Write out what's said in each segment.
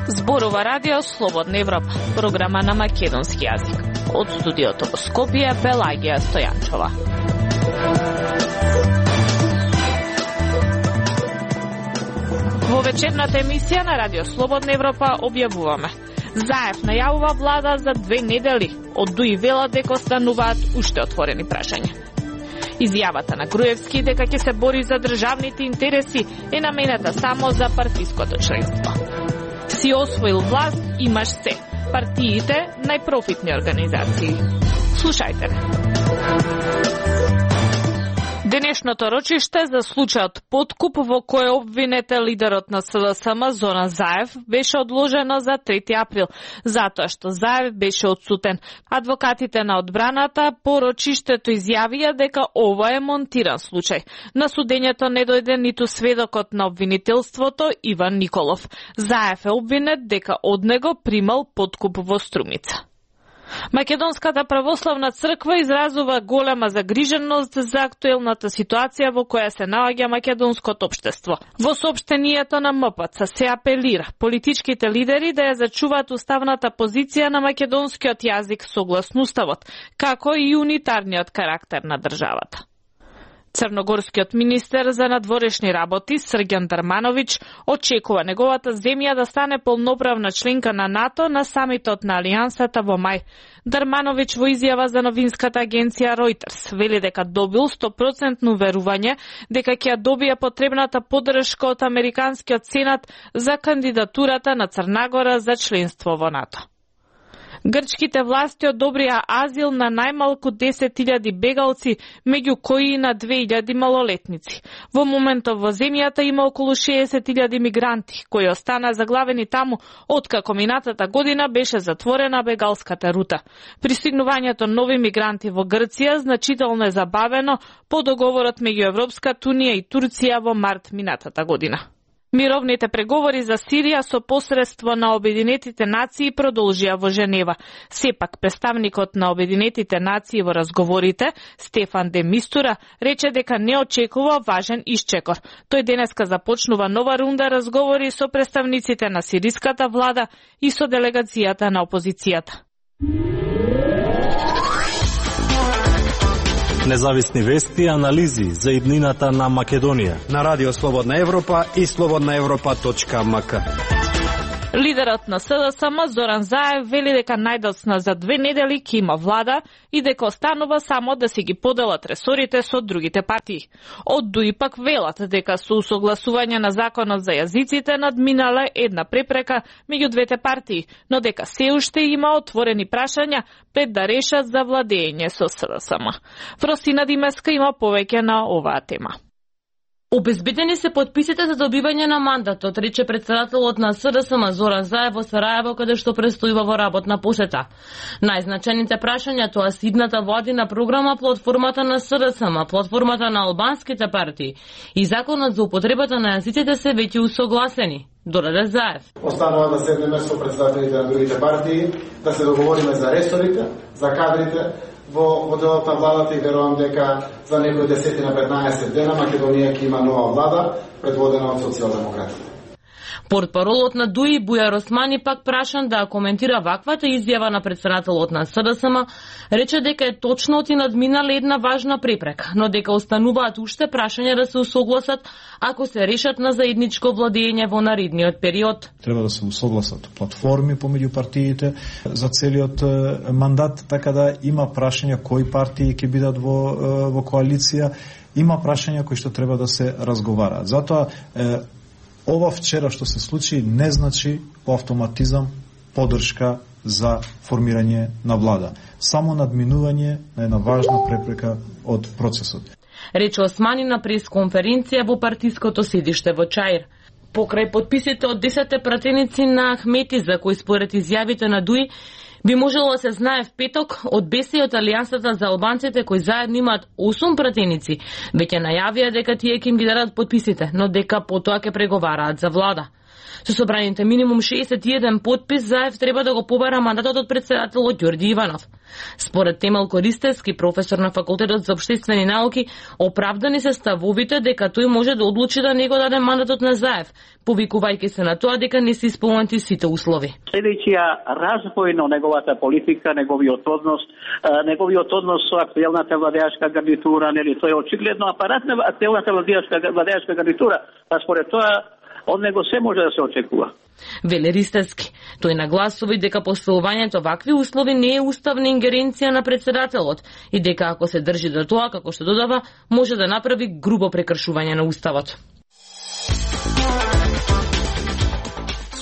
Зборува Радио Слободна Европа, програма на македонски јазик. Од студиото во Скопје, Пелагија Стојанчова. Во вечерната емисија на Радио Слободна Европа објавуваме: Заев најавува влада за 2 недели, од Дуи велат дека остануваат уште отворени прашања. Изјавата на Груевски дека ќе се бори за државните интереси е намената само за партиското членство. Си освоил власт, имаш се. Партиите најпрофитни организации. Слушајте ме. Денешното рочиште за случајот подкуп во кој обвинете лидерот на СДСМ Зоран Заев беше одложено за 3 април, затоа што Заев беше отсутен. Адвокатите на одбраната по рочиштето изјавија дека ова е монтиран случај. На судењето не дојде ниту сведокот на обвинителството Иван Николов. Заев е обвинет дека од него примал подкуп во Струмица. Македонската православна црква изразува голема загриженост за актуелната ситуација во која се наоѓа македонското општество. Во соопштението на МПЦ се апелира политичките лидери да ја зачуваат уставната позиција на македонскиот јазик согласно уставот, како и унитарниот карактер на државата. Црногорскиот министер за надворешни работи Срѓан Дармановиќ очекува неговата земја да стане полноправна членка на НАТО на самитот на Алијансата во мај. Дармановиќ во изјава за новинската агенција Reuters вели дека добил 100% уверување дека ќе добие потребната поддршка од американскиот сенат за кандидатурата на Црна за членство во НАТО. Грчките власти одобрија азил на најмалку 10.000 бегалци, меѓу кои и на 2.000 малолетници. Во моментов во земјата има околу 60.000 мигранти, кои остана заглавени таму, откако минатата година беше затворена бегалската рута. Пристигнувањето нови мигранти во Грција значително е забавено по договорот меѓу Европската унија и Турција во март минатата година. Мировните преговори за Сирија со посредство на Обединетите нации продолжија во Женева. Сепак, представникот на Обединетите нации во разговорите, Стефан де Мистура, рече дека не очекува важен исчекор. Тој денеска започнува нова рунда разговори со представниците на сириската влада и со делегацијата на опозицијата. Независни вести и анализи за иднината на Македонија на Радио Слободна Европа и slobodnaevropa.mk. Лидерот на СДСМ Зоран Заев вели дека најдоцна за 2 недели ќе има влада и дека останува само да си ги поделат ресорите со другите партии. Од Дуи пак велат дека со усогласување на законот за јазиците надминале една препрека меѓу двете партии, но дека се уште има отворени прашања пред да решат за владење со СДСМ. Фросина Димеска има повеќе на оваа тема. Обезбедени се подписите за добивање на мандатот, рече председателот на СДСМ Зоран Заев во Сарајево, каде што престојува во работна посета. Најзначените прашања тоа се идната владина програма, платформата на СДСМ, платформата на албанските партии и законот за употребата на јазиците се веќе усогласени. Додаде Заев. Останува да седнеме со председателите на другите партии, да се договориме за ресорите, за кадрите, во делот на владата и верувам дека за некои 10-15 дена Македонија ќе има нова влада предводена од социјалдемократите. Портпаролот на Дуи Бујар Османи пак прашан да коментира ваквата изјава на председателот на СДСМ, рече дека е точно и надминале една важна препрека, но дека остануваат уште прашања да се усогласат ако се решат на заедничко владење во наредниот период. Треба да се усогласат платформи помеѓу партиите за целиот мандат, така да има прашања кои партии ќе бидат во коалиција, има прашања кои што треба да се разговараат. Затоа ова вчера што се случи не значи по автоматизам поддршка за формирање на влада. Само надминување на една важна препрека од процесот. Рече Османи на пресконференција во партиското седиште во Чаир. Покрај подписите од 10 пратеници на Ахмети, за кои според изјавите на Дуи би можело да се знае в петок од БЕСИ од Алијансата за албанците кои заедно имаат 8 пратеници, веќе најавија дека тие ќе им ги дадат подписите, но дека потоа ќе преговараат за влада. Со собраните минимум 61 потпис, Заев треба да го побара мандатот од председателот Ѓорѓи Иванов. Според Темел Користевски, професор на Факултетот за општествени науки, оправдани се ставовите дека тој може да одлучи да не го даде мандатот на Заев, повикувајќи се на тоа дека не се исполнети сите услови. Следејќија развој на неговата политика, неговиот однос со актуелната владеачка гарнитура, нели тој е очигледно апарат на актуелната владеачка гарнитура, па според тоа од него се може да се очекува. Веле Ристевски. Тој нагласува дека поставувањето вакви услови не е уставна ингеренција на председателот и дека ако се држи до тоа, како што додава, може да направи грубо прекршување на уставот.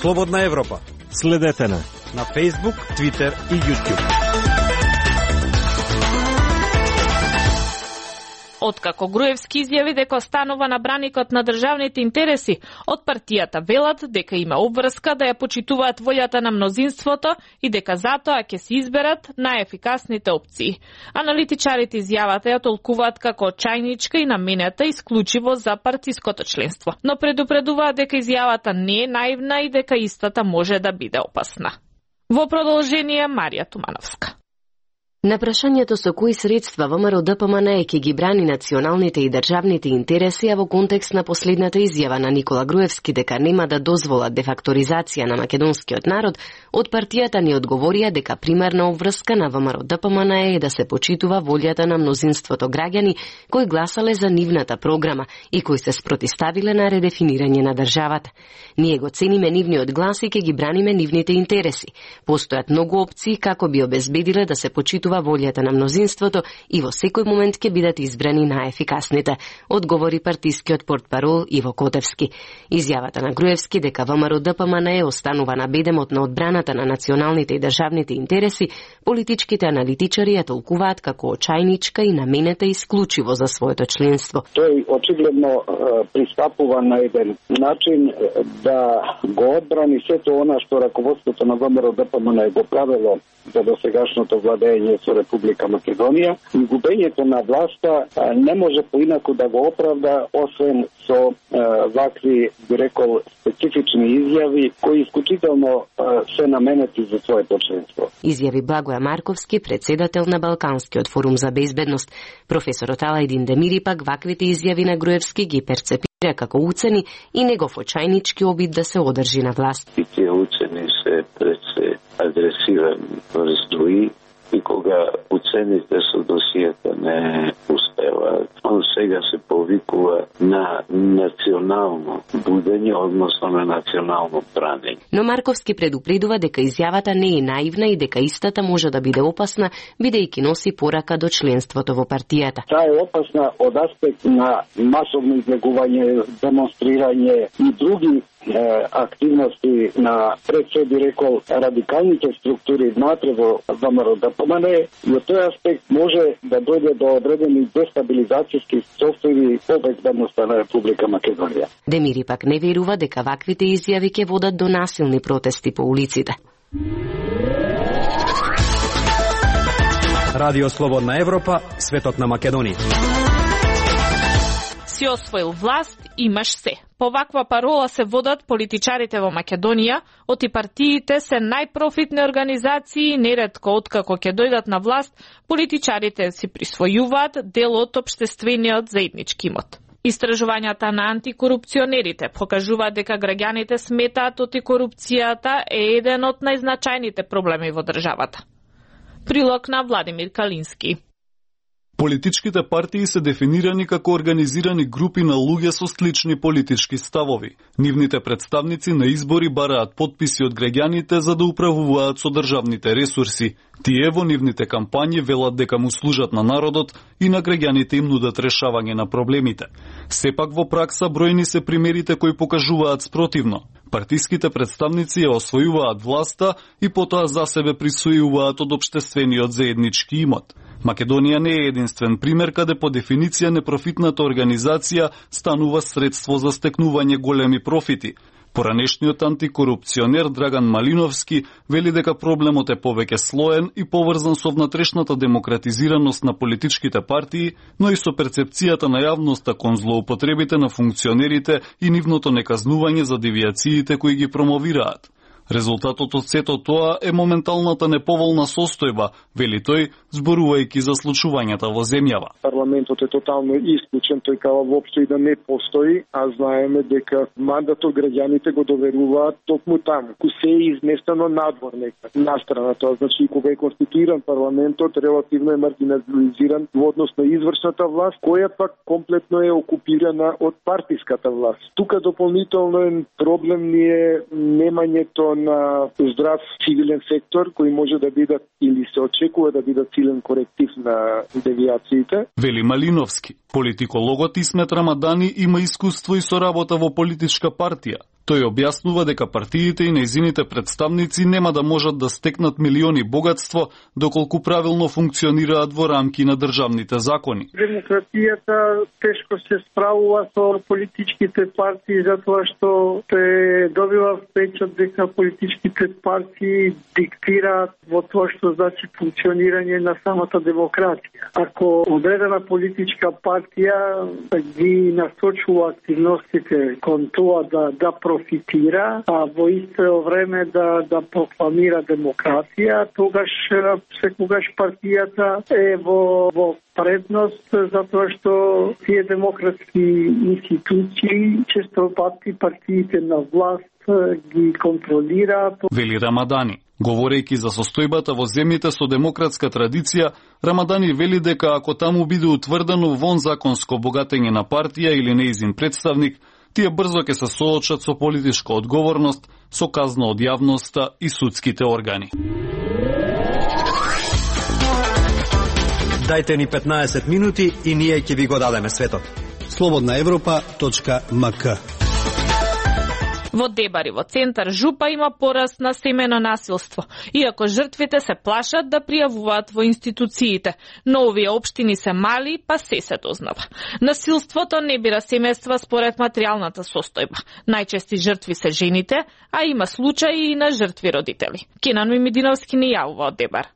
Слободна Европа. Следете на Facebook, Twitter и YouTube. Откако Груевски изјави дека останува на браникот на државните интереси, од партијата велат дека има обврска да ја почитуваат волјата на мнозинството и дека затоа ќе се изберат најефикасните опции. Аналитичарите изјавата ја толкуваат како очајничка и наменета исклучиво за партиското членство, но предупредуваат дека изјавата не е наивна и дека истата може да биде опасна. Во продолжение Марија Тумановска. На прашањето со кои средства ВМРО ДПМН ќе ги брани националните и државните интереси, а во контекст на последната изјава на Никола Груевски дека нема да дозволат дефакторизација на македонскиот народ, од партијата ни одговорија дека примерна обврска на ВМРО ДПМН е да се почитува волјата на мнозинството граѓани кои гласале за нивната програма и кои се спротивставиле на редефинирање на државата. Ние го цениме нивниот глас и ќе ги браниме нивните интереси. Постојат многу опции како би обезбедиле да се почитува волјата на мнозинството и во секој момент ќе бидат избрани најефикасните, одговори партискиот портпарол Иво Котевски. Изјавата на Груевски дека ВМРО ДПМН останува на бедемот на одбраната на националните и државните интереси, политичките аналитичари ја толкуваат како очајничка и наменета исклучиво за своето членство. Тој очигледно пристапува на еден начин да го одбрани сето она што раководството на ВМРО ДПМН го правело за досегашното владење со Република Македонија, и губењето на власта не може поинаку да го оправда освен со вакви, би рекол, специфични изјави кои исклучително се наменети за своето членство. Изјави Благоја Марковски, председател на Балканскиот форум за безбедност. Професорот Алајдин Демири пак ваквите изјави на Груевски ги перцепира како уцени и негов очајнички обид да се одржи на власт. И тие уцени се пред агресивен раздвои и кога уцените со досијата не успеваат, он сега се повикува на национално будење, односно на национално бранење. Но Марковски предупредува дека изјавата не е наивна и дека истата може да биде опасна, бидејќи носи порака до членството во партијата. Таа е опасна од аспект на масовно излегување, демонстрирање и други активности на пред се би рекол радикалните структури внатре во ВМРО ДПМН, и од тој аспект може да дојде до одредени дестабилизацијски состојби по безбедноста на Република Македонија. Демири пак не верува дека ваквите изјави ќе водат до насилни протести по улиците. Радио Слободна Европа, светот на Македонија. Си освоил власт, имаш се. По ваква парола се водат политичарите во Македонија, оти партиите се најпрофитни организации и неретко откако ќе дојдат на власт, политичарите си присвојуваат дел од општествениот заеднички имот. Истражувањата на антикорупционерите покажуваат дека граѓаните сметаат оти корупцијата е еден од најзначајните проблеми во државата. Прилог на Владимир Калински. Политичките партии се дефинирани како организирани групи на луѓе со слични политички ставови. Нивните представници на избори бараат потписи од граѓаните за да управуваат со државните ресурси. Тие во нивните кампањи велат дека му служат на народот и на граѓаните им нудат решавање на проблемите. Сепак во пракса бројни се примерите кои покажуваат спротивно. Партиските представници ја освојуваат власта и потоа за себе присвојуваат од општествениот заеднички имот. Македонија не е единствен пример каде по дефиниција непрофитната организација станува средство за стекнување големи профити. Поранешниот антикорупционер Драган Малиновски вели дека проблемот е повеќе слоен и поврзан со внатрешната демократизираност на политичките партии, но и со перцепцијата на јавноста кон злоупотребите на функционерите и нивното неказнување за девијациите кои ги промовираат. Резултатот од сето тоа е моменталната неповолна состојба, вели тој, зборувајќи за случувањата во земјава. Парламентот е тотално исклучен, тој кава воопшто и да не постои, а знаеме дека мандатот граѓаните го доверуваат токму таму. Ку се е изместено надвор нека, настрана тоа. Значи, кога е конституиран парламентот, релативно е маргинализиран во однос на извршната власт, која пак комплетно е окупирана од партиската власт. Тука дополнително проблем ни е немањето на здрав цивилен сектор кој може да биде или се очекува да биде силен коректив на девијациите. Вели Малиновски, политикологот Исмет Рамадани има искуство и со работа во политичка партија. Тој објаснува дека партиите и нејзините представници нема да можат да стекнат милиони богатство доколку правилно функционираат во рамки на државните закони. Демократијата тешко се справува со политичките партии затоа што се добива впечат дека политичките партии диктираат во тоа што значи функционирање на самата демократија. Ако одредена политичка партија ги насочува активностите кон тоа да профитира, а во исто време да прокламира демократија, тогаш секогаш партијата е во предност, затоа што тие демократски институции често пати партиите на власт ги контролираат. Вели Рамадани. Говорејќи за состојбата во земјите со демократска традиција, Рамадани вели дека ако таму биде утврдено вонзаконско богатење на партија или нејзин представник, тие брзо ќе се соочат со политичка одговорност, со казна од јавноста и судските органи. Дајте ни 15 минути и ние ќе ви го дадеме светот. Slobodnaevropa.mk. Во Дебари, во центар Жупа, има пораст на семено насилство, иако жртвите се плашат да пријавуваат во институциите, но овие општини се мали, па се дознава. Насилството не бира семејства според материјалната состојба. Најчести жртви се жените, а има случаи и на жртви родители. Кенан Мимидиновски ни јавува од Дебар.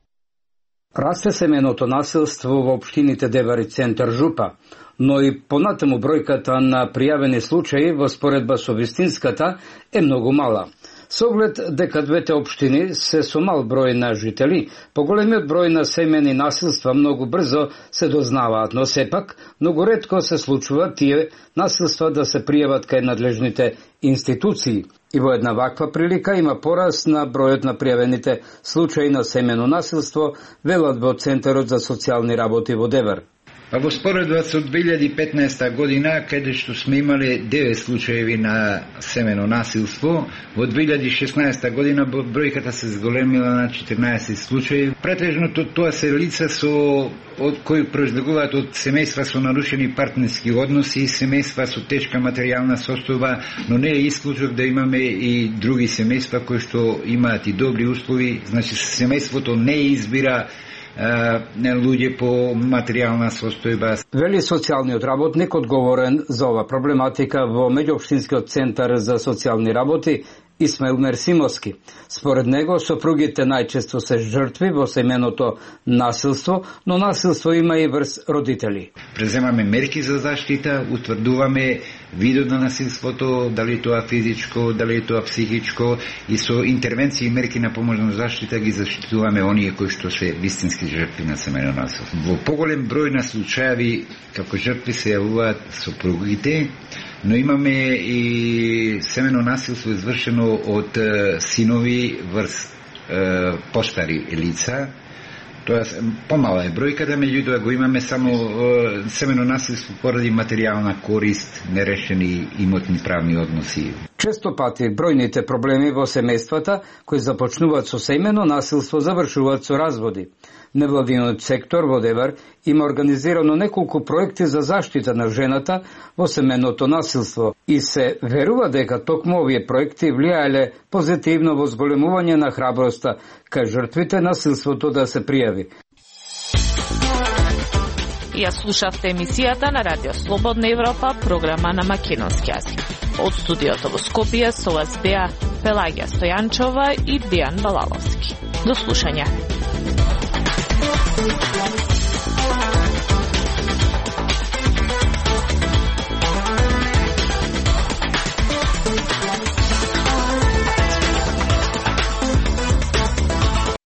Расте семеното насилство во општините Дебар и центар Жупа, но и понатаму бројката на пријавени случаи во споредба со вистинската е многу мала. Со оглед дека двете општини се со мал број на жители, поголемиот број на семени насилства многу брзо се дознаваат, но сепак многу ретко се случува тие насилства да се пријават кај надлежните институции. И во една ваква прилика има пораст на бројот на пријавените случаи на семено насилство, велат во Центарот за социјални работи во Дебар. Па во споредба со 2015 година, каде што сме имале 9 случаеви на семено насилство, во 2016 година бројката се зголемила на 14 случаи. Претежното тоа се лица од кои произлегуваат од семејства со нарушени партнерски односи, семејства со тешка материјална состојба, но не е исклучок да имаме и други семејства кои што имаат и добри услови. Значи семејството не избира луѓе по материјална состојба. Вели социјалниот работник одговорен за ова проблематика во Меѓуопштинскиот центар за социјални работи Исмаил Мерсимовски. Според него, сопругите најчесто се жртви во семеното насилство, но насилство има и врз родители. Преземаме мерки за заштита, утврдуваме видот на насилството, дали тоа физичко, дали тоа психичко, и со интервенции и мерки на поможна заштита ги заштитуваме оние кои што се вистински жртви на семено насилство. Во поголем број на случаи како жртви се јавуваат сопругите, но имаме и семено насилство извршено од синови врз постари лица. Тоа помала е бројката, меѓутоа го имаме само семено насилство поради материјална корист, нерешени имотни правни односи. Често пати бројните проблеми во семејствата кои започнуваат со семено насилство завршуваат со разводи. Невладиниот сектор во Дебар има организирано неколку проекти за заштита на жената во семеното насилство и се верува дека токму овие проекти влијаеле позитивно во зголемување на храброста кај жртвите насилството да се пријави. Ја слушавте емисијата на Радио Слободна Европа, програма на македонски јазик. Од студиото во Скопје со вас беа Пелагија Стојанчова и Дејан Балаловски. До слушање.